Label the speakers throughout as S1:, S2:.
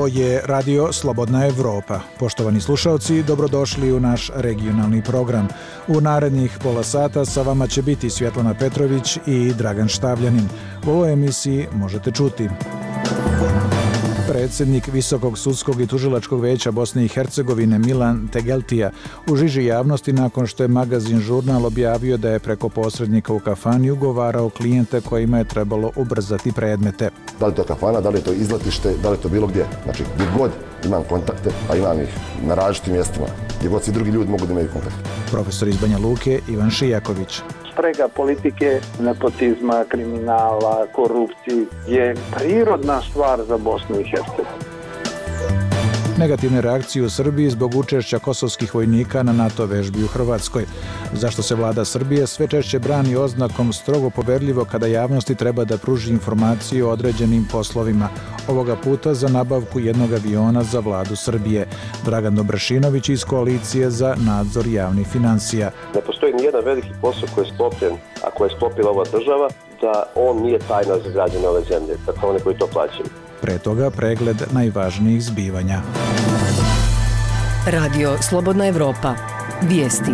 S1: Ovo je Radio Slobodna Evropa. Poštovani slušalci, dobrodošli u naš regionalni program. U narednih pola sata sa vama će biti Svjetlana Petrović i Dragan Štavljanin. U ovoj emisiji možete čuti: predsjednik Visokog sudskog i tužilačkog veća Bosne i Hercegovine Milan Tegeltija u žiži javnosti nakon što je magazin Žurnal objavio da je preko posrednika u kafani ugovarao klijente kojima je trebalo ubrzati predmete.
S2: Da li to kafana, da li je to izletište, da li je to bilo gdje. Znači, gdje god imam kontakte, a imam ih na različitim mjestima, gdje god svi drugi ljudi mogu da imaju kontakte.
S1: Profesor iz Banja Luke Ivan Šijaković.
S3: Sprega politike, nepotizma, kriminala, korupcije je prirodna stvar za Bosnu i Hercegovinu.
S1: Negativne reakcije u Srbiji zbog učešća kosovskih vojnika na NATO vežbi u Hrvatskoj. Zašto se vlada Srbije sve češće brani oznakom strogo poverljivo kada javnosti treba da pruži informaciju o određenim poslovima. Ovoga puta za nabavku jednog aviona za vladu Srbije. Dragan Dobrašinović iz Koalicije za nadzor javnih financija.
S4: Ne postoji nijedan veliki posao koji je sklopljen, a koji je sklopila ova država, da on nije tajna za građane ove zemlje, dakle one koji to plaćaju.
S1: Pre toga pregled najvažnijih zbivanja.
S5: Radio Slobodna Evropa. Vijesti.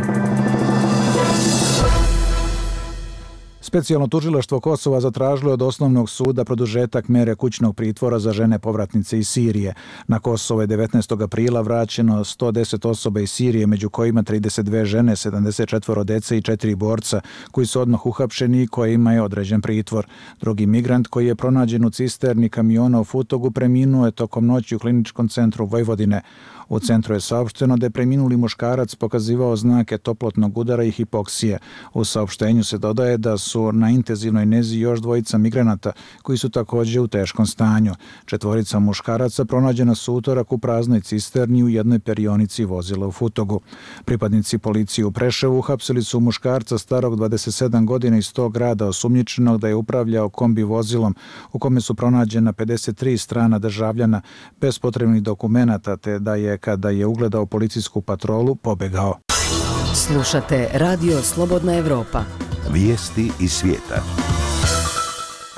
S1: Specijalno tužilaštvo Kosova zatražilo od osnovnog suda produžetak mere kućnog pritvora za žene povratnice iz Sirije. Na Kosovo je 19. aprila vraćeno 110 osoba iz Sirije, među kojima 32 žene, 74 dece i 4 borca, koji su odmah uhapšeni i kojima je određen pritvor. Drugi migrant koji je pronađen u cisterni kamiona u Futogu preminuo je tokom noći u kliničkom centru Vojvodine. U centru je saopšteno da je preminuli muškarac pokazivao znake toplotnog udara i hipoksije. U saopštenju se dodaje da su na intenzivnoj nezi još dvojica migranata koji su također u teškom stanju. 4 muškaraca pronađena su utorak u praznoj cisterni u jednoj perionici vozila u Futogu. Pripadnici policije u Preševu uhapsili su muškarca starog 27 godina iz tog grada osumnjičenog da je upravljao kombi vozilom u kome su pronađena 53 strana državljana bez potrebnih dokumenata, te da je kada je ugledao policijsku patrolu pobegao.
S5: Slušate Radio Slobodna Evropa.
S6: Vijesti iz svijeta.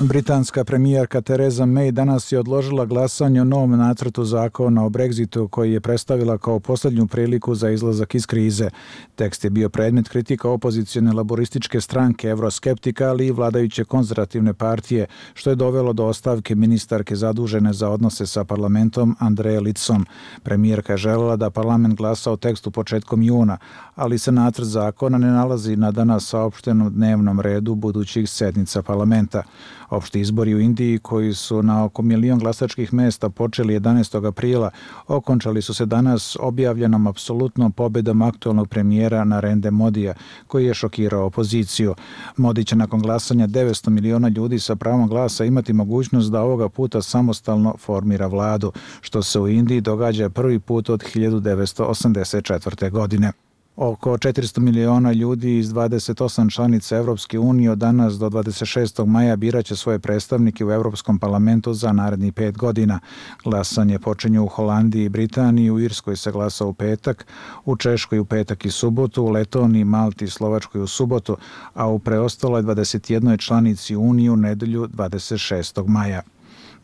S1: Britanska premijerka Theresa May danas je odložila glasanje o novom nacrtu zakona o Brexitu koji je predstavila kao posljednju priliku za izlazak iz krize. Tekst je bio predmet kritika opozicione laborističke stranke Euroskeptika, ali i vladajuće konzervativne partije, što je dovelo do ostavke ministarke zadužene za odnose sa parlamentom Andreje Litsom. Premijerka je željela da parlament glasa o tekstu početkom juna, ali se nacrt zakona ne nalazi na danas saopštenom dnevnom redu budućih sednica parlamenta. Opšti izbori u Indiji, koji su na oko 1 milion glasačkih mesta počeli 11. aprila, okončali su se danas objavljenom apsolutnom pobedom aktualnog premijera Narendra Modija, koji je šokirao opoziciju. Modi će nakon glasanja 900 miliona ljudi sa pravom glasa imati mogućnost da ovoga puta samostalno formira vladu, što se u Indiji događa prvi put od 1984. godine. Oko 400 miliona ljudi iz 28 članica Evropske unije od danas do 26. maja biraće svoje predstavnike u Europskom parlamentu za narednih 5 godina. Glasanje počinje u Holandiji i Britaniji, u Irskoj se glasa u petak, u Češkoj u petak i subotu, u Letoniji, Malti i Slovačkoj u subotu, a u preostaloj 21 članici Unije u nedelju 26. maja.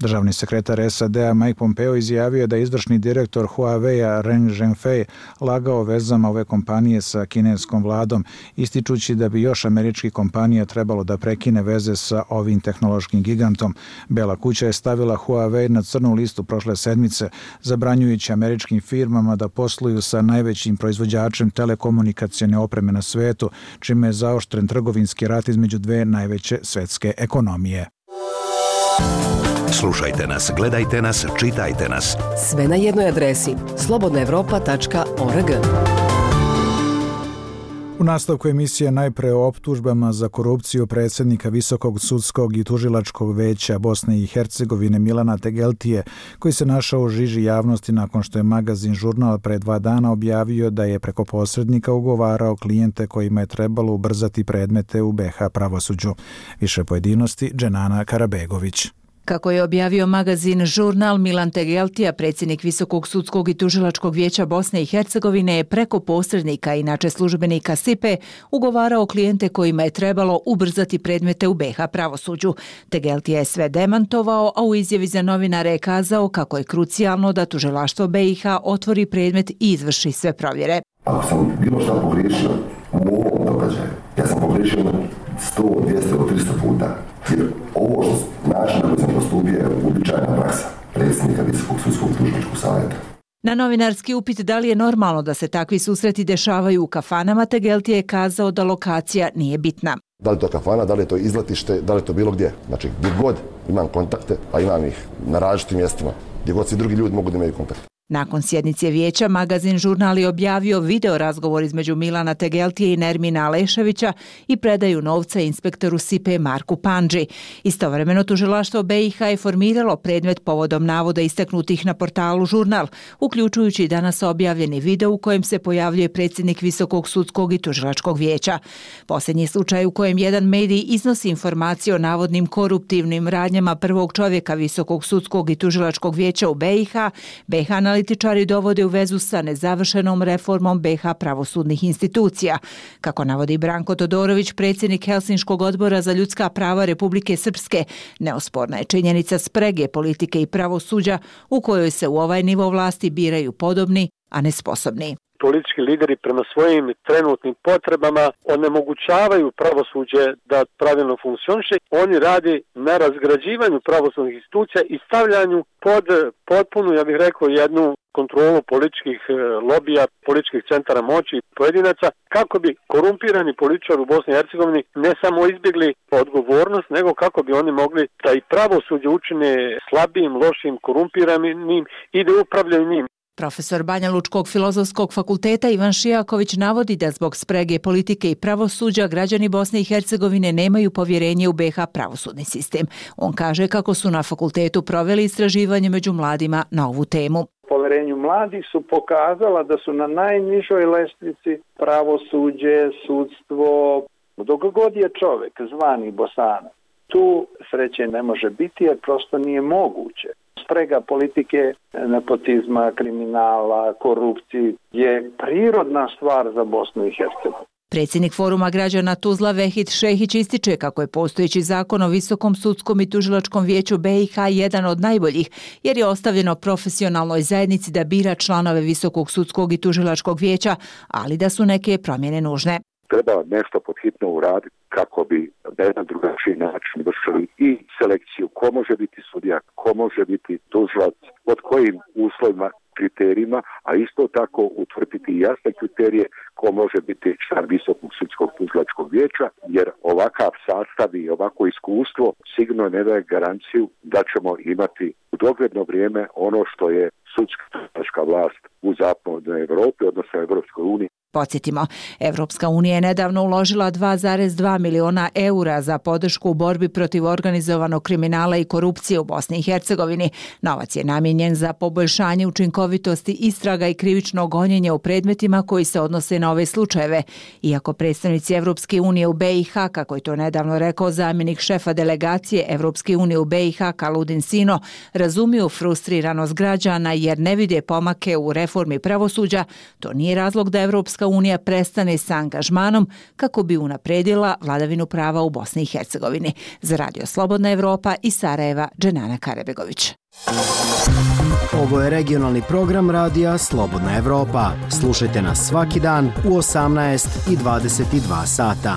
S1: Državni sekretar SAD-a Mike Pompeo izjavio da je izvršni direktor Huawei-a Ren Zhengfei lagao vezama ove kompanije sa kineskom vladom, ističući da bi još američkih kompanija trebalo da prekine veze sa ovim tehnološkim gigantom. Bela kuća je stavila Huawei na crnu listu prošle sedmice, zabranjujući američkim firmama da posluju sa najvećim proizvođačem telekomunikacione opreme na svetu, čime je zaoštren trgovinski rat između dve najveće svetske ekonomije.
S6: Slušajte nas, gledajte nas, čitajte nas.
S5: Sve na jednoj adresi slobodnaevropa.org.
S1: U nastavku emisije najpre o optužbama za korupciju predsjednika Visokog sudskog i tužilačkog veća Bosne i Hercegovine Milana Tegeltije, koji se našao u žiži javnosti nakon što je magazin Žurnal pre 2 dana objavio da je preko posrednika ugovarao klijente kojima je trebalo ubrzati predmete u BiH pravosuđu. Više pojedinosti Dženana Karabegović.
S7: Kako je objavio magazin Žurnal, Milan Tegeltija, predsjednik Visokog sudskog i tužilačkog vijeća Bosne i Hercegovine, je preko posrednika, inače službenika SIPE, ugovarao klijente kojima je trebalo ubrzati predmete u BiH pravosuđu. Tegeltija je sve demantovao, a u izjavi za novinare je kazao kako je krucijalno da tužilaštvo BiH otvori predmet i izvrši sve provjere.
S2: Ako sam bilo šta pogriješio u ovom događaju, ja sam pogriješio 100, 200 ili 300 puta. Jer ovo način na koji sam postupio je uobičajena praksa predsjednika Visokog sudskog tužilačkog savjeta.
S7: Na novinarski upit da li je normalno da se takvi susreti dešavaju u kafanama, Tegeltija je kazao da lokacija nije bitna.
S2: Da li to kafana, da li je to izletište, da li je to bilo gdje. Znači, gdje god imam kontakte, a imam ih na različitim mjestima, gdje god svi drugi ljudi mogu da imaju kontakt.
S7: Nakon sjednice vijeća, magazin Žurnal je objavio video razgovor između Milana Tegeltije i Nermina Aleševića i predaju novca inspektoru SIPE Marku Pandži. Istovremeno tužilaštvo BiH je formiralo predmet povodom navoda istaknutih na portalu Žurnal, uključujući danas objavljeni video u kojem se pojavljuje predsjednik Visokog sudskog i tužilačkog vijeća. Posljednji slučaj u kojem jedan medij iznosi informacije o navodnim koruptivnim radnjama prvog čovjeka Visokog sudskog i tužilačkog vijeća u BiH analitičari dovode u vezu sa nezavršenom reformom BiH pravosudnih institucija. Kako navodi Branko Todorović, predsjednik Helsinškog odbora za ljudska prava Republike Srpske, neosporna je činjenica sprege politike i pravosuđa u kojoj se u ovaj nivo vlasti biraju podobni, a ne sposobni.
S3: Politički lideri prema svojim trenutnim potrebama onemogućavaju pravosuđe da pravilno funkcioniše. Oni radi na razgrađivanju pravosudnih institucija i stavljanju pod potpunu, ja bih rekao, jednu kontrolu političkih lobija, političkih centara moći i pojedinaca, kako bi korumpirani političari u Bosni i Hercegovini ne samo izbjegli odgovornost, nego kako bi oni mogli da i pravosuđe učine slabijim, lošim, korumpiranim i da upravljaju njim.
S7: Profesor Banja Lučkog filozofskog fakulteta Ivan Šijaković navodi da zbog sprege politike i pravosuđa građani Bosne i Hercegovine nemaju povjerenje u BiH pravosudni sistem. On kaže kako su na fakultetu proveli istraživanje među mladima na ovu temu.
S3: Poverenju mladih su pokazala da su na najnižoj lestvici pravosuđe, sudstvo, dok god je čovjek zvani Bosanac. Tu sreće ne može biti jer prosto nije moguće. Sprega politike, nepotizma, kriminala, korupcije je prirodna stvar za Bosnu i Hercegovinu.
S7: Predsjednik Foruma građana Tuzla Vehid Šehić ističe kako je postojeći zakon o Visokom sudskom i tužilačkom vijeću BiH jedan od najboljih, jer je ostavljeno profesionalnoj zajednici da bira članove Visokog sudskog i tužilačkog vijeća, ali da su neke promjene nužne.
S8: Treba nešto pod hitno uraditi kako bi na jedan drugačiji način vršili i selekciju ko može biti sudija, ko može biti tužilac, pod kojim uslovima, kriterijima, a isto tako utvrditi jasne kriterije ko može biti član Visokog sudskog tužilačkog vijeća, jer ovakav sastav i ovako iskustvo sigurno ne daje garanciju da ćemo imati u dogledno vrijeme ono što je sudska tužilačka vlast u zapadnoj Europi, odnosno Evropskoj uniji.
S7: Podsjetimo, Evropska unija je nedavno uložila 2,2 miliona eura za podršku u borbi protiv organizovanog kriminala i korupcije u Bosni i Hercegovini. Novac je namijenjen za poboljšanje učinkovitosti istraga i krivičnog gonjenja u predmetima koji se odnose na ove slučajeve. Iako predstavnici Evropske unije u BiH, kako je to nedavno rekao zamjenik šefa delegacije Evropske unije u BiH Kaludin Sino, razumiju frustriranost građana jer ne vide pomake u reformi pravosuđa, to nije razlog da Evropska unija prestane sa angažmanom kako bi unapredila vladavinu prava u Bosni i Hercegovini. Za Radio Slobodna Evropa iz Sarajeva, Dženana Karebegović.
S9: Ovo je regionalni program Radija Slobodna Evropa. Slušajte nas svaki dan u 18 i 22 sata.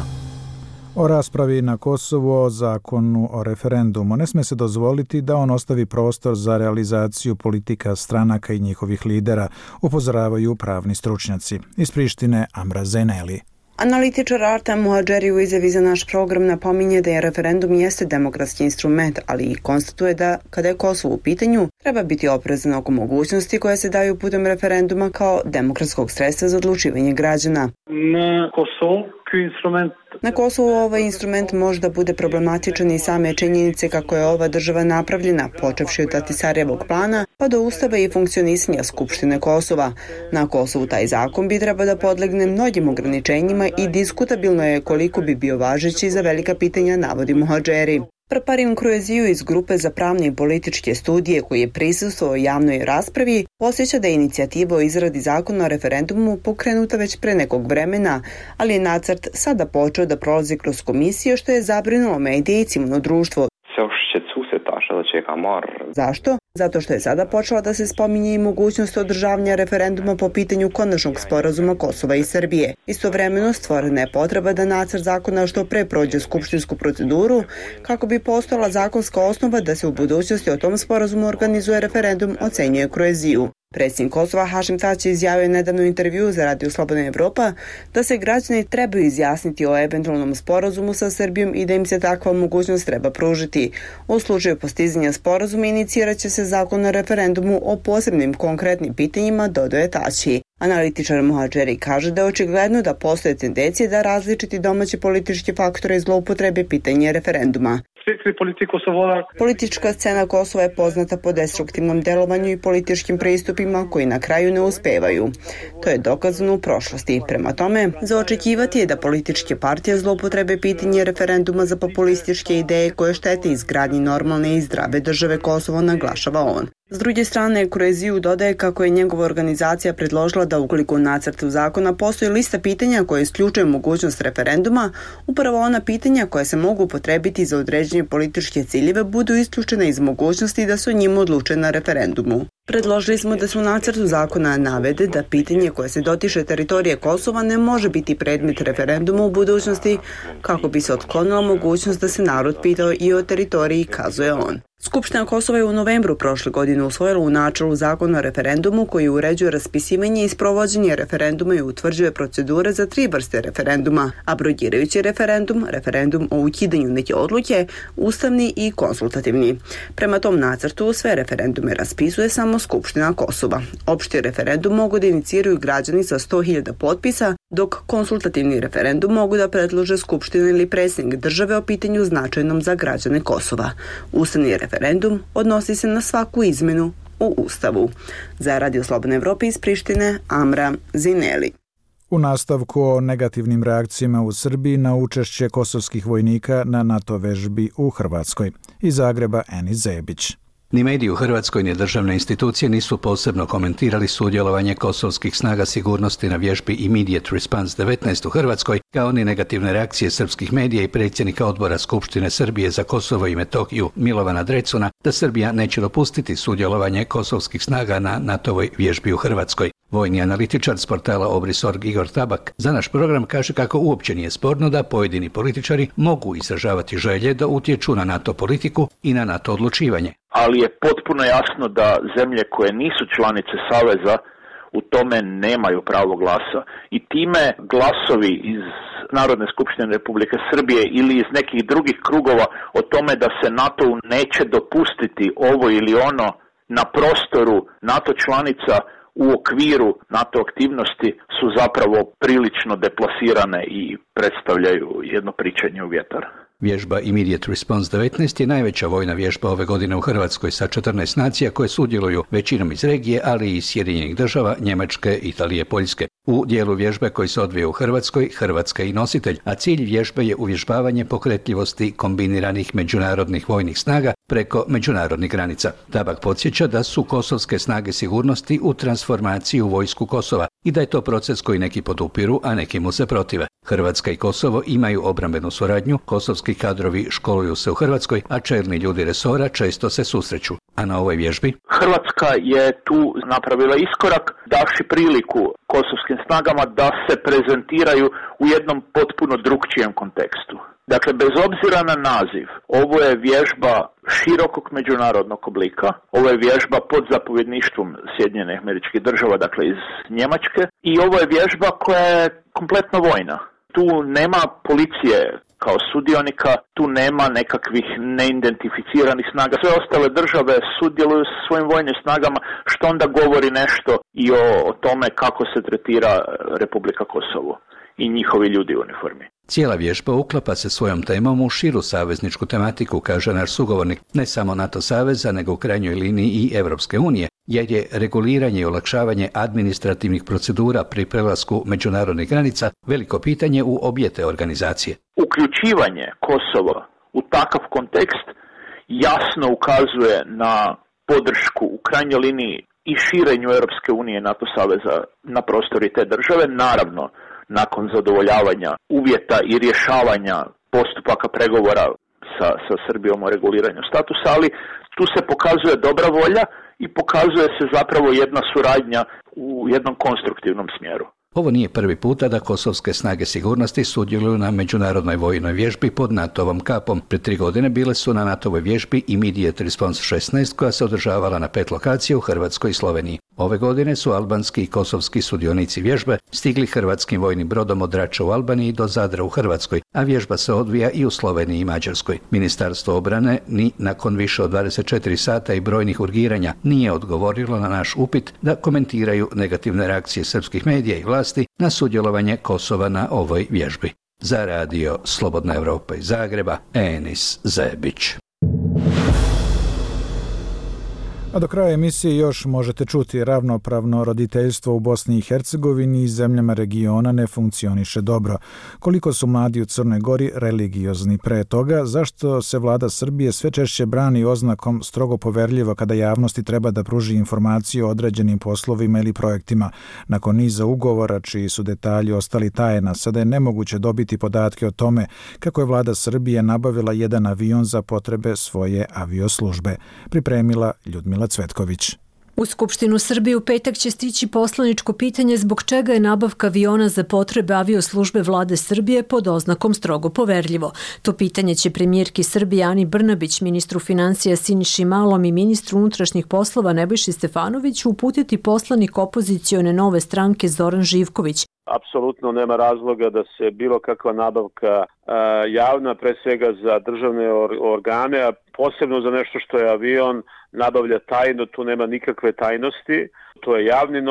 S1: O raspravi na Kosovu o zakonu o referendumu ne sme se dozvoliti da on ostavi prostor za realizaciju politika stranaka i njihovih lidera, upozoravaju pravni stručnjaci. Iz Prištine Amra Zeneli.
S10: Analitičar Artem Muhadžeri u izjavi za naš program napominje da je referendum jeste demokratski instrument, ali i konstatuje da, kada je Kosovo u pitanju, treba biti oprezan oko mogućnosti koje se daju putem referenduma kao demokratskog sredstva za odlučivanje građana. Na Kosovu ovaj instrument može da bude problematičan i same činjenice kako je ova država napravljena, počevši od Ahtisarjevog plana pa do ustava i funkcionisanja Skupštine Kosova. Na Kosovu taj zakon bi treba da podlegne mnogim ograničenjima i diskutabilno je koliko bi bio važeći za velika pitanja, navodi Muhadžeri. Prparin Krueziju iz Grupe za pravne i političke studije koji je prisustvovao javnoj raspravi posjeća da je inicijativa o izradi zakona o referendumu pokrenuta već pre nekog vremena, ali je nacrt sada počeo da prolazi kroz komisiju što je zabrinulo medije i civilno društvo. Zašto? Zato što je sada počela da se spominje i mogućnost održavanja referenduma po pitanju konačnog sporazuma Kosova i Srbije. Istovremeno stvorena je potreba da nacrt zakona što pre prođe skupštinsku proceduru kako bi postojala zakonska osnova da se u budućnosti o tom sporazumu organizuje referendum, ocenjuje Krueziju. Predsjednik Kosova Hašim Tači izjavio je nedavno intervju za Radio Slobodna Evropa da se građani trebaju izjasniti o eventualnom sporazumu sa Srbijom i da im se takva mogućnost treba pružiti. U slučaju postizanja sporazuma inicirat će se zakon o referendumu o posebnim konkretnim pitanjima, dodaje Tači. Analitičar Muhadžeri kaže da je očigledno da postoje tendencije da različiti domaći politički faktori zloupotrebe pitanje referenduma. Politička scena Kosova je poznata po destruktivnom delovanju i političkim pristupima koji na kraju ne uspevaju. To je dokazano u prošlosti. Prema tome, za očekivati je da političke partije zloupotrebe pitanje referenduma za populističke ideje koje štete izgradnji normalne i zdrave države Kosovo, naglašava on. S druge strane, Krueziju dodaje kako je njegova organizacija predložila da ukoliko u nacrtu zakona postoji lista pitanja koje isključuje mogućnost referenduma, upravo ona pitanja koja se mogu upotrebiti za određenje političke ciljeve budu isključena iz mogućnosti da se o njima odluče na referendumu. Predložili smo da se u nacrtu zakona navede da pitanje koje se dotiče teritorije Kosova ne može biti predmet referenduma u budućnosti kako bi se otklonila mogućnost da se narod pitao i o teritoriji, kazuje on. Skupština Kosova je u novembru prošle godine usvojila u načelu zakon o referendumu koji uređuje raspisivanje i sprovođenje referenduma i utvrđuje procedure za 3 vrste referenduma: abrogirajući referendum, referendum o ukidanju neke odluke, ustavni i konsultativni. Prema tom nacrtu sve referendume raspisuje samo Skupština Kosova. Opšti referendum mogu da iniciraju građani sa 100.000 potpisa, dok konsultativni referendum mogu da predlože Skupština ili predsjednik države o pitanju značajnom za građane Kosova. Ustavni referendum odnosi se na svaku izmenu u Ustavu. Za Radio Slobodne Evrope iz Prištine, Amra Zineli.
S1: U nastavku o negativnim reakcijama u Srbiji na učešće kosovskih vojnika na NATO vežbi u Hrvatskoj. Iz Zagreba, Eni Zebić.
S11: Ni mediji u Hrvatskoj ni državne institucije nisu posebno komentirali sudjelovanje kosovskih snaga sigurnosti na vježbi Immediate Response 19 u Hrvatskoj, kao ni negativne reakcije srpskih medija i predsjednika odbora Skupštine Srbije za Kosovo i Metohiju Milovana Drecuna da Srbija neće dopustiti sudjelovanje kosovskih snaga na NATO-voj vježbi u Hrvatskoj. Vojni analitičar s portala Obris.org Igor Tabak za naš program kaže kako uopće nije sporno da pojedini političari mogu izražavati želje da utječu na NATO politiku i na NATO odlučivanje.
S12: Ali je potpuno jasno da zemlje koje nisu članice Saveza u tome nemaju pravo glasa i time glasovi iz Narodne skupštine Republike Srbije ili iz nekih drugih krugova o tome da se NATO-u neće dopustiti ovo ili ono na prostoru NATO članica u okviru NATO aktivnosti su zapravo prilično deplasirane i predstavljaju jedno pričanje u vjetar.
S11: Vježba Immediate Response 19 je najveća vojna vježba ove godine u Hrvatskoj sa 14 nacija koje sudjeluju većinom iz regije, ali i iz Sjedinjenih država, Njemačke, Italije, Poljske. U dijelu vježbe koji se odvija u Hrvatskoj, Hrvatska je i nositelj, a cilj vježbe je uvježbavanje pokretljivosti kombiniranih međunarodnih vojnih snaga preko međunarodnih granica. Tabak podsjeća da su kosovske snage sigurnosti u transformaciji u vojsku Kosova i da je to proces koji neki podupiru, a neki mu se protive. Hrvatska i Kosovo imaju obrambenu suradnju, kosovski kadrovi školuju se u Hrvatskoj, a čelni ljudi resora često se susreću. A na ovoj vježbi
S12: Hrvatska je tu napravila iskorak, davši priliku kosovskim snagama da se prezentiraju u jednom potpuno drukčijem kontekstu. Dakle, bez obzira na naziv, ovo je vježba širokog međunarodnog oblika, ovo je vježba pod zapovjedništvom Sjedinjenih Američkih Država, dakle iz Njemačke, i ovo je vježba koja je kompletno vojna. Tu nema policije kao sudionika, tu nema nekakvih neidentificiranih snaga. Sve ostale države sudjeluju sa svojim vojnim snagama, što onda govori nešto i o tome kako se tretira Republika Kosovo i njihovi ljudi u uniformi.
S11: Cijela vježba uklapa se svojom temom u širu savezničku tematiku, kaže naš sugovornik, ne samo NATO saveza, nego u krajnjoj liniji i Europske unije, jer je reguliranje i olakšavanje administrativnih procedura pri prelasku međunarodnih granica veliko pitanje u obje te organizacije.
S12: Uključivanje Kosova u takav kontekst jasno ukazuje na podršku u krajnjoj liniji i širenju Europske unije i NATO saveza na prostori te države, naravno nakon zadovoljavanja uvjeta i rješavanja postupaka pregovora sa Srbijom o reguliranju statusa, ali tu se pokazuje dobra volja i pokazuje se zapravo jedna suradnja u jednom konstruktivnom smjeru.
S11: Ovo nije prvi puta da kosovske snage sigurnosti sudjeluju na međunarodnoj vojnoj vježbi pod NATO-vom kapom. Pred 3 godine bile su na NATO-voj vježbi Immediate Response 16 koja se održavala na 5 lokacija u Hrvatskoj i Sloveniji. Ove godine su albanski i kosovski sudionici vježbe stigli hrvatskim vojnim brodom od Drača u Albaniji do Zadra u Hrvatskoj, a vježba se odvija i u Sloveniji i Mađarskoj. Ministarstvo obrane ni nakon više od 24 sata i brojnih urgiranja nije odgovorilo na naš upit da komentiraju negativne reakcije srpskih medija i vlasti na sudjelovanje Kosova na ovoj vježbi. Za radio Slobodna Evropa iz Zagreba, Enis Zebić.
S1: A do kraja emisije još možete čuti: ravnopravno roditeljstvo u Bosni i Hercegovini i zemljama regiona ne funkcioniše dobro. Koliko su mladi u Crnoj Gori religiozni pre toga, zašto se vlada Srbije sve češće brani oznakom strogo poverljivo kada javnosti treba da pruži informaciju o određenim poslovima ili projektima. Nakon niza ugovora čiji su detalji ostali tajna, sada je nemoguće dobiti podatke o tome kako je vlada Srbije nabavila jedan avion za potrebe svoje avioslužbe. Pripremila Ljudmila Cvetković.
S13: U Skupštinu Srbije u petak će stići poslaničko pitanje zbog čega je nabavka aviona za potrebe avioslužbe vlade Srbije pod oznakom strogo poverljivo. To pitanje će premijerki Srbije Ani Brnabić, ministru financija Siniši Malom i ministru unutrašnjih poslova Nebojši Stefanoviću uputiti poslanik opozicione Nove stranke Zoran Živković.
S3: Apsolutno nema razloga da se bilo kakva nabavka javna, pre svega za državne organe, a posebno za nešto što je avion, nabavlja tajno, tu nema nikakve tajnosti. To je javni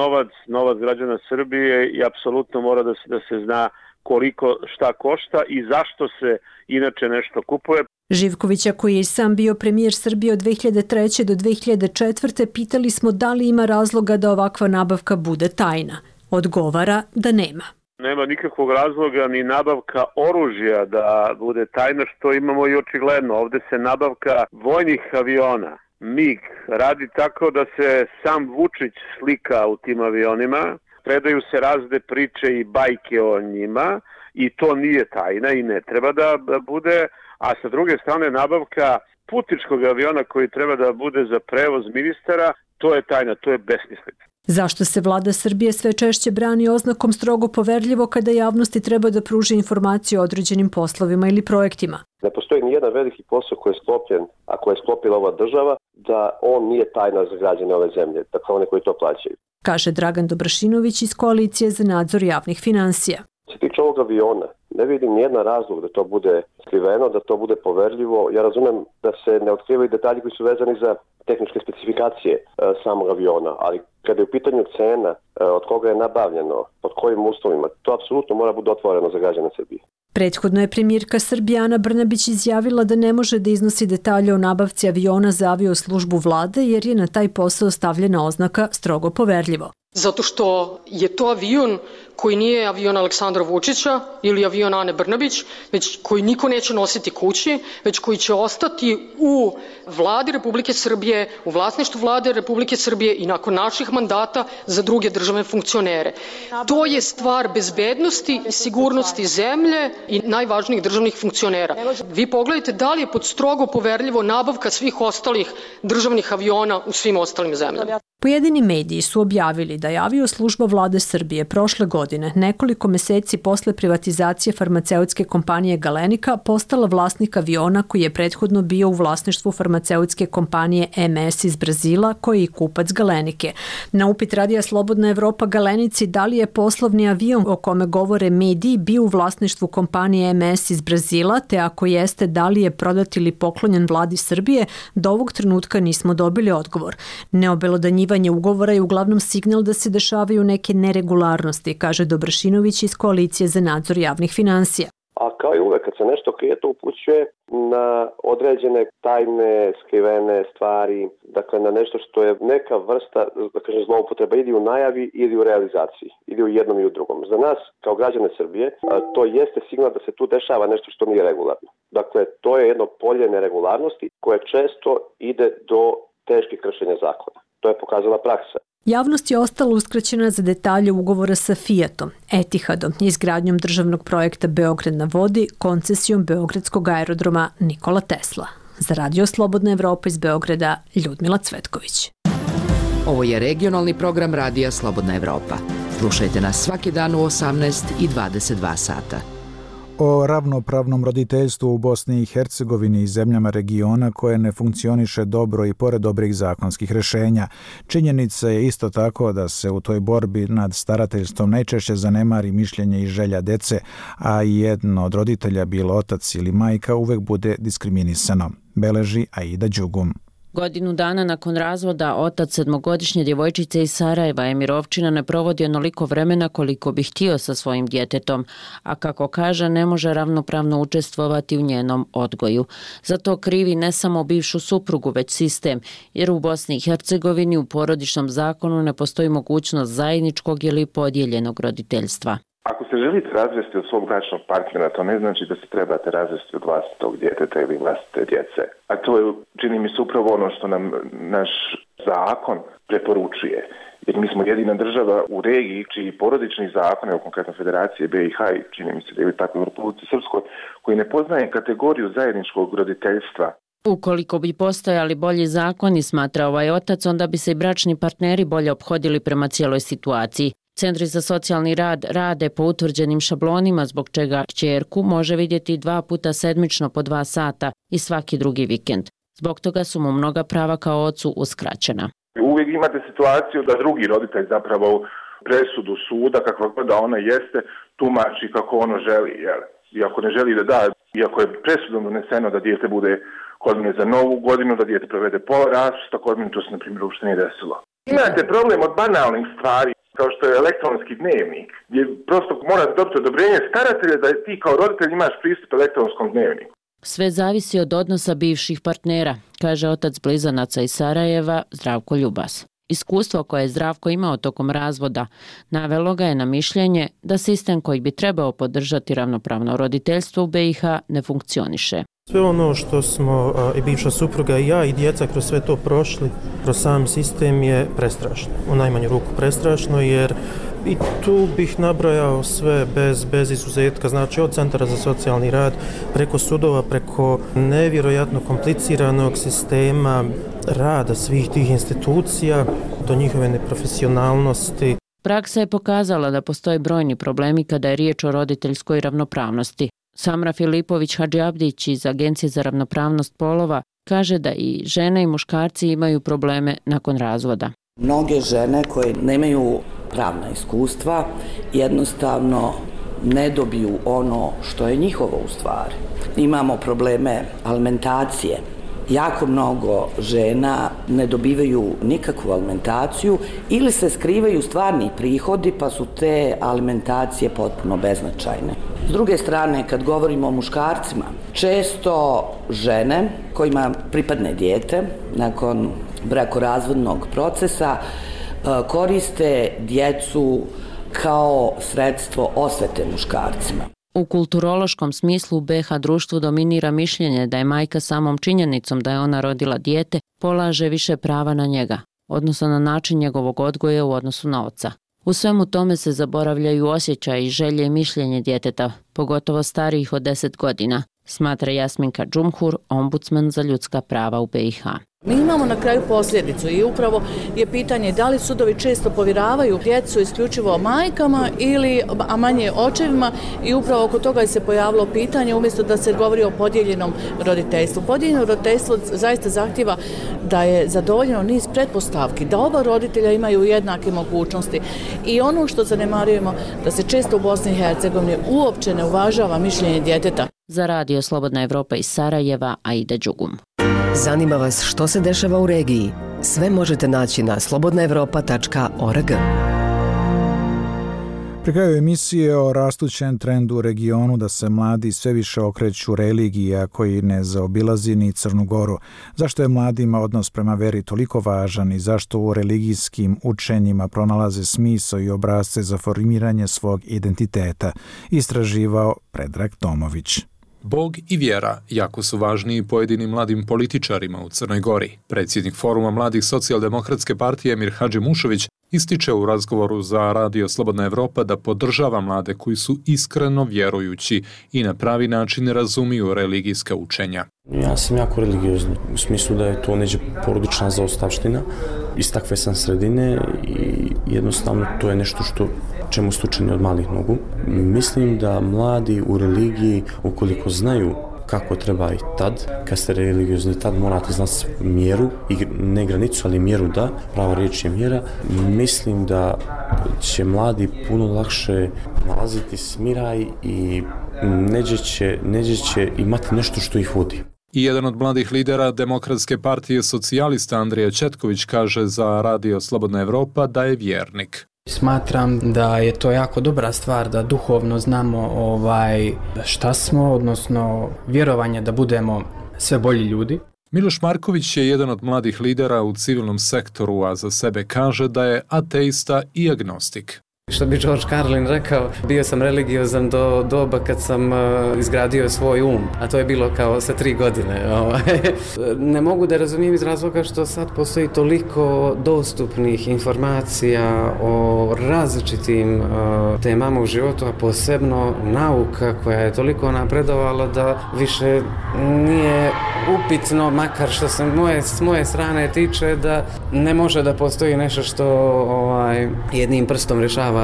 S3: novac građana Srbije i apsolutno mora da se zna koliko šta košta i zašto se inače nešto kupuje.
S13: Živkovića, koji je sam bio premijer Srbije od 2003. do 2004. pitali smo da li ima razloga da ovakva nabavka bude tajna. Odgovara da nema.
S3: Nema nikakvog razloga ni nabavka oružja da bude tajna, što imamo i očigledno. Ovde se nabavka vojnih aviona, MiG, radi tako da se sam Vučić slika u tim avionima, predaju se razne priče i bajke o njima i to nije tajna i ne treba da bude, a sa druge strane nabavka putničkog aviona koji treba da bude za prevoz ministara, to je tajna, to je besmislica.
S13: Zašto se vlada Srbije sve češće brani oznakom strogo poverljivo kada javnosti treba da pruži informaciju o određenim poslovima ili projektima?
S4: Ne postoji ni jedan veliki posao koji je sklopljen, a koji je sklopila ova država, da on nije tajna za građane ove zemlje, dakle one koji to plaćaju.
S13: Kaže Dragan Dobrašinović iz Koalicije za nadzor javnih finansija.
S4: Se tiče ovog aviona, ne vidim nijedan razlog da to bude skriveno, da to bude poverljivo. Ja razumem da se ne otkrivaju detalji koji su vezani za tehničke specifikacije samog aviona, ali kada je u pitanju cena, od koga je nabavljeno, pod kojim uslovima, to apsolutno mora biti otvoreno za građane Srbije.
S13: Prethodno je premijerka Srbije Ana Brnabić izjavila da ne može da iznosi detalje o nabavci aviona za avioslužbu vlade jer je na taj posao stavljena oznaka strogo poverljivo.
S14: Zato što je to avion koji nije avion Aleksandra Vučića ili avion Ane Brnabić, već koji niko neće nositi kući, već koji će ostati u vladi Republike Srbije, u vlasništvu vlade Republike Srbije i nakon naših mandata za druge državne funkcionere. To je stvar bezbednosti i sigurnosti zemlje i najvažnijih državnih funkcionera. Vi pogledajte da li je pod strogo poverljivo nabavka svih ostalih državnih aviona u svim ostalim zemljama.
S13: Pojedini mediji su objavili da je avioslužba vlade Srbije prošle godine, nekoliko meseci posle privatizacije farmaceutske kompanije Galenika, postala vlasnik aviona koji je prethodno bio u vlasništvu farmaceutske kompanije MS iz Brazila, koji je i kupac Galenike. Na upit radija Slobodna Evropa Galenici da li je poslovni avion o kome govore mediji bio u vlasništvu kompanije MS iz Brazila, te ako jeste da li je prodat ili poklonjen vladi Srbije, do ovog trenutka nismo dobili odgovor. Neobelodanjivanje ugovora je uglavnom signal da se dešavaju neke neregularnosti, kaže Dobrašinović iz Koalicije za nadzor javnih finansija.
S4: A kao i uvek, kad se nešto krije, to upućuje na određene tajne, skrivene stvari. dakle na nešto što je neka vrsta, da kažem, zloupotreba ili u najavi ili u realizaciji, ili u jednom i u drugom. Za nas, kao građane Srbije, to jeste signal da se tu dešava nešto što nije regularno. Dakle, to je jedno polje neregularnosti koje često ide do teških kršenja zakona. To je pokazala praksa.
S13: Javnost je ostala uskraćena za detalje ugovora sa Fiatom, Etihadom, izgradnjom državnog projekta Beograd na vodi, koncesijom Beogradskog aerodroma Nikola Tesla. Za Radio Slobodna Evropa iz Beograda, Ljudmila Cvetković.
S5: Ovo je regionalni program Radija Slobodna Evropa. Slušajte nas svaki dan u 18 i 22 sata.
S1: O ravnopravnom roditeljstvu u Bosni i Hercegovini i zemljama regiona koje ne funkcioniše dobro i pored dobrih zakonskih rješenja. Činjenica je isto tako da se u toj borbi nad starateljstvom najčešće zanemari mišljenje i želja dece, a jedno od roditelja, bilo otac ili majka, uvek bude diskriminisano, beleži Aida Đugum.
S15: Godinu dana nakon razvoda, otac sedmogodišnje djevojčice iz Sarajeva, Emir Ovčina, ne provodi onoliko vremena koliko bi htio sa svojim djetetom, a kako kaže, ne može ravnopravno učestvovati u njenom odgoju. Zato krivi ne samo bivšu suprugu, već sistem, jer u Bosni i Hercegovini u porodičnom zakonu ne postoji mogućnost zajedničkog ili podijeljenog roditeljstva.
S16: Ako se želite razvesti od svog bračnog partnera, to ne znači da se trebate razvesti od vlastitog djeteta ili vlastite djece. A to je, čini mi se, upravo ono što nam naš zakon preporučuje. Jer mi smo jedina država u regiji čiji porodični zakon, evo konkretno Federacije BiH i čini mi se da je tako u Republici Srpskoj, koji ne poznaje kategoriju zajedničkog roditeljstva.
S15: Ukoliko bi postojali bolji zakoni, smatra ovaj otac, onda bi se i bračni partneri bolje ophodili prema cijeloj situaciji. Centri za socijalni rad rade po utvrđenim šablonima, zbog čega kćerku može vidjeti 2 puta sedmično po 2 sata i svaki drugi vikend. Zbog toga su mu mnoga prava kao ocu uskraćena.
S16: Uvijek imate situaciju da drugi roditelj zapravo presudu suda, kakva god da ona jeste, tumači kako ono želi. Jel? Iako ne želi da da, iako je presudom doneseno da dijete bude kod mene za novu godinu, da dijete provede pola raspusta, kod mene to se na primjer uopšte nije desilo. Imate problem od banalnih stvari, kao što je elektronski dnevnik, gdje prosto morate dobiti odobrenje staratelja da ti kao roditelj imaš pristup elektronskom dnevniku.
S15: Sve zavisi od odnosa bivših partnera, kaže otac blizanaca iz Sarajeva, Zdravko Ljubas. Iskustvo koje je Zdravko imao tokom razvoda navelo ga je na mišljenje da sistem koji bi trebao podržati ravnopravno roditeljstvo u BiH ne funkcioniše.
S17: Sve ono što smo i bivša supruga i ja i djeca kroz sve to prošli, kroz sam sistem je prestrašno. U najmanju ruku prestrašno, jer i tu bih nabrojao sve bez izuzetka, znači od centara za socijalni rad, preko sudova, preko nevjerojatno kompliciranog sistema rada svih tih institucija, do njihove neprofesionalnosti.
S15: Praksa je pokazala da postoje brojni problemi kada je riječ o roditeljskoj ravnopravnosti. Samra Filipović Hadžiabdić iz Agencije za ravnopravnost polova kaže da i žene i muškarci imaju probleme nakon razvoda.
S18: Mnoge žene koje nemaju pravna iskustva jednostavno ne dobiju ono što je njihovo u stvari. Imamo probleme alimentacije. Jako mnogo žena ne dobivaju nikakvu alimentaciju ili se skrivaju stvarni prihodi pa su te alimentacije potpuno beznačajne. S druge strane, kad govorimo o muškarcima, često žene kojima pripadne dijete nakon brakorazvodnog procesa koriste djecu kao sredstvo osvete muškarcima.
S15: U kulturološkom smislu u BiH društvu dominira mišljenje da je majka samom činjenicom da je ona rodila dijete polaže više prava na njega, odnosno na način njegovog odgoja u odnosu na oca. U svemu tome se zaboravljaju osjećaj i želje i mišljenje djeteta, pogotovo starijih od 10 godina, smatra Jasminka Džumhur, ombudsman za ljudska prava u BiH.
S19: Mi imamo na kraju posljedicu i upravo je pitanje da li sudovi često povjeravaju djecu isključivo majkama a manje očevima i upravo oko toga je se pojavilo pitanje umjesto da se govori o podijeljenom roditeljstvu. Podijeljeno roditeljstvo zaista zahtjeva da je zadovoljeno niz pretpostavki, da oba roditelja imaju jednake mogućnosti i ono što zanemarujemo da se često u Bosni i Hercegovini uopće ne uvažava mišljenje djeteta.
S15: Za Radio Slobodna Evropa iz Sarajeva, Aida Đugum.
S5: Zanima vas što se dešava u regiji? Sve možete naći na slobodnaevropa.org.
S1: Pri kraju emisije o rastućem trendu u regionu da se mladi sve više okreću religija koji ne zaobilazi ni Crnu Goru. Zašto je mladima odnos prema veri toliko važan i zašto u religijskim učenjima pronalaze smisao i obrasce za formiranje svog identiteta, istraživao Predrag Tomović.
S20: Bog i vjera jako su važniji pojedinim mladim političarima u Crnoj Gori. Predsjednik Foruma mladih socijaldemokratske partije Emir Hadžimušović ističe u razgovoru za Radio Slobodna Evropa da podržava mlade koji su iskreno vjerujući i na pravi način razumiju religijska učenja.
S21: Ja sam jako religiozni, u smislu da je to neđe porodična zaostavština. Iz takve sam sredine i jednostavno to je nešto čemu su učeni od malih nogu. Mislim da mladi u religiji, ukoliko znaju kako treba i tad, kad ste religiozni, tad morate znati mjeru, i ne granicu, ali mjeru da, prava riječ je mjera. Mislim da će mladi puno lakše nalaziti smiraj i neđe će imati nešto što ih vodi.
S20: I jedan od mladih lidera Demokratske partije socijalista Andrija Četković kaže za Radio Slobodna Evropa da je vjernik.
S22: Smatram da je to jako dobra stvar da duhovno znamo šta smo, odnosno vjerovanje da budemo sve bolji ljudi.
S20: Miloš Marković je jedan od mladih lidera u civilnom sektoru, a za sebe kaže da je ateista i agnostik.
S22: Što bi George Carlin rekao, bio sam religiozan do doba kad sam izgradio svoj a to je bilo kao sa 3 godine. Ne mogu da razumijem iz razloga što sad postoji toliko dostupnih informacija o različitim temama u životu, a posebno nauka koja je toliko napredovala da više nije upitno, makar što se s moje strane tiče, da ne može da postoji nešto što jednim prstom rješava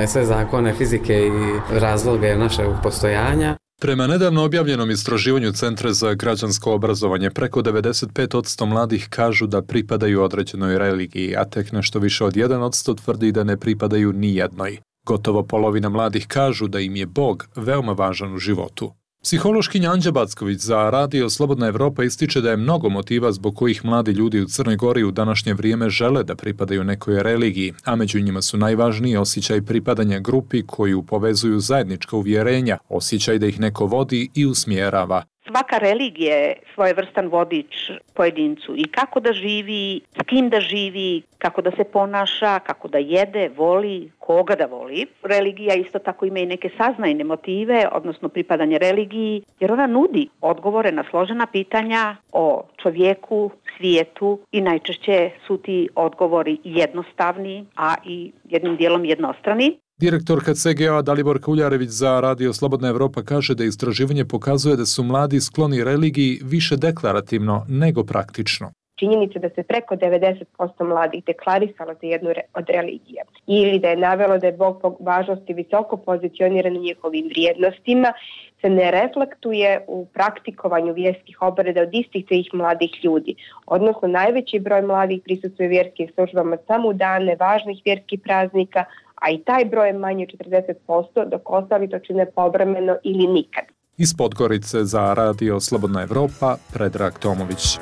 S22: sve zakone fizike i razloge našeg postojanja.
S20: Prema nedavno objavljenom istraživanju Centra za građansko obrazovanje, preko 95% mladih kažu da pripadaju određenoj religiji, a tek nešto više od 1% tvrdi da ne pripadaju ni jednoj. Gotovo polovina mladih kažu da im je Bog veoma važan u životu. Psihološkinja Anđa Backović za Radio Slobodna Evropa ističe da je mnogo motiva zbog kojih mladi ljudi u Crnoj Gori u današnje vrijeme žele da pripadaju nekoj religiji, a među njima su najvažniji osjećaj pripadanja grupi koju povezuju zajednička uvjerenja, osjećaj da ih neko vodi i usmjerava.
S23: Svaka religija je svojevrstan vodič pojedincu i kako da živi, s kim da živi, kako da se ponaša, kako da jede, voli, koga da voli. Religija isto tako ima i neke saznajne motive, odnosno pripadanje religiji, jer ona nudi odgovore na složena pitanja o čovjeku, svijetu i najčešće su ti odgovori jednostavni, a i jednim dijelom jednostrani.
S20: Direktorka CGA Daliborka Uljarević za Radio Slobodna Evropa kaže da istraživanje pokazuje da su mladi skloni religiji više deklarativno nego praktično.
S24: Činjenica da se preko 90% mladih deklarisalo za jednu od religija ili da je navelo da je Bog po važnosti visoko pozicioniran u njihovim vrijednostima se ne reflektuje u praktikovanju vjerskih obreda od istih tih mladih ljudi. Odnosno, najveći broj mladih prisustvuje vjerskim službama samo u dane važnih vjerskih praznika, a i taj broj je manje 40%, dok ostali to čine povremeno ili nikad.
S20: Iz Podgorice za Radio Slobodna Evropa, Predrag Tomović.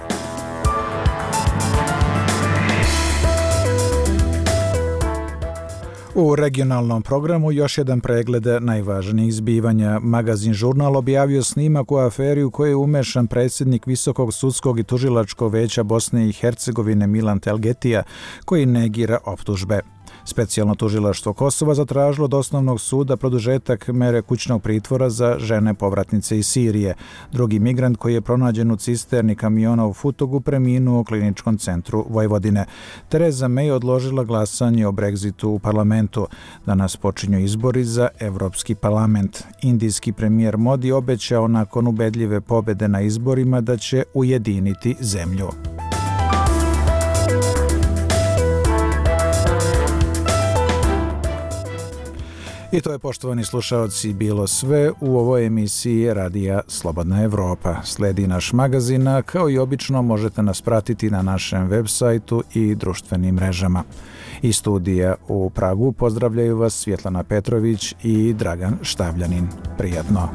S1: U regionalnom programu još jedan pregled najvažnijih zbivanja. Magazin Žurnal objavio snimak u aferi u kojoj je umešan predsjednik Visokog sudskog i tužilačkog veća Bosne i Hercegovine Milan Telgetija, koji negira optužbe. Specijalno tužilaštvo Kosova zatražilo od osnovnog suda produžetak mere kućnog pritvora za žene povratnice iz Sirije. Drugi migrant koji je pronađen u cisterni kamiona u Futogu preminuo u kliničkom centru Vojvodine. Tereza May odložila glasanje o Brexitu u parlamentu. Danas počinju izbori za Evropski parlament. Indijski premijer Modi obećao nakon ubedljive pobjede na izborima da će ujediniti zemlju. I to je, poštovani slušaoci, bilo sve u ovoj emisiji Radija Slobodna Evropa. Sledi naš magazin, a kao i obično možete nas pratiti na našem web sajtu i društvenim mrežama. Iz studija u Pragu pozdravljaju vas Svjetlana Petrović i Dragan Štavljanin. Prijatno!